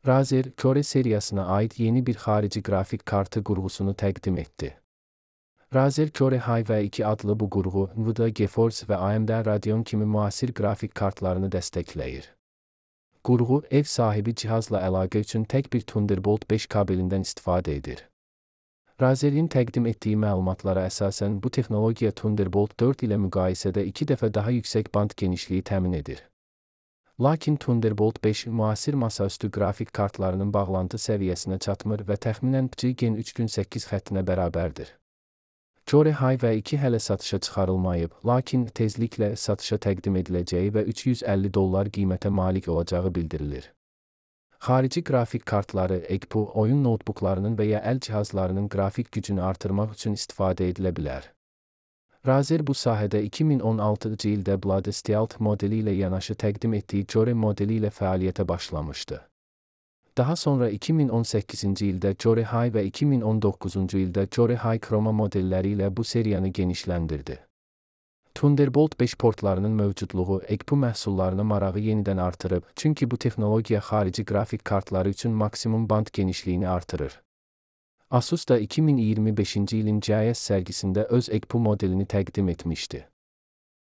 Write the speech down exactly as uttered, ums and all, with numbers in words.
Razer, Core seriyasına ait yeni bir xarici grafik kartı qurğusunu təqdim etdi. Razer Core High V iki adlı bu qurğu, Nvidia GeForce və A M D Radeon kimi müasir qrafik kartlarını dəstəkləyir. Qurğu, ev sahibi cihazla əlaqə üçün tək bir Thunderbolt beş kabelindən istifadə edir. Razer'in təqdim etdiyi məlumatlara əsasən bu texnologiya Thunderbolt dörd ilə müqayisədə iki dəfə daha yüksək band genişliyi təmin edir. Lakin Thunderbolt beş müasir masaüstü qrafik kartlarının bağlantı səviyyəsinə çatmır və təxminən Gen üç gün səkkiz xəttinə bərabərdir. Core High V iki hələ satışa çıxarılmayıb, lakin tezliklə satışa təqdim ediləcəyi və üç yüz əlli dollar qiymətə malik olacağı bildirilir. Xarici qrafik kartları, E G P U, oyun notebooklarının və ya əl cihazlarının qrafik gücünü artırmaq üçün istifadə edilə bilər. Razer bu sahədə iki min on altıncı ildə Blood Stealth modeli ilə yanaşı təqdim etdiyi Core modeli ilə fəaliyyətə başlamışdı. Daha sonra iki min on səkkizinci ildə Core High və iki min on doqquzuncu ildə Core High Chroma modelləri ilə bu seriyanı genişləndirdi. Thunderbolt beş portlarının mövcudluğu E G P U məhsullarına marağı yenidən artırıb, çünki bu texnologiya xarici qrafik kartları üçün maksimum band genişliyini artırır. Asus da iki min iyirmi beşinci ilin C I S sərgisində öz E G P U modelini təqdim etmişdi.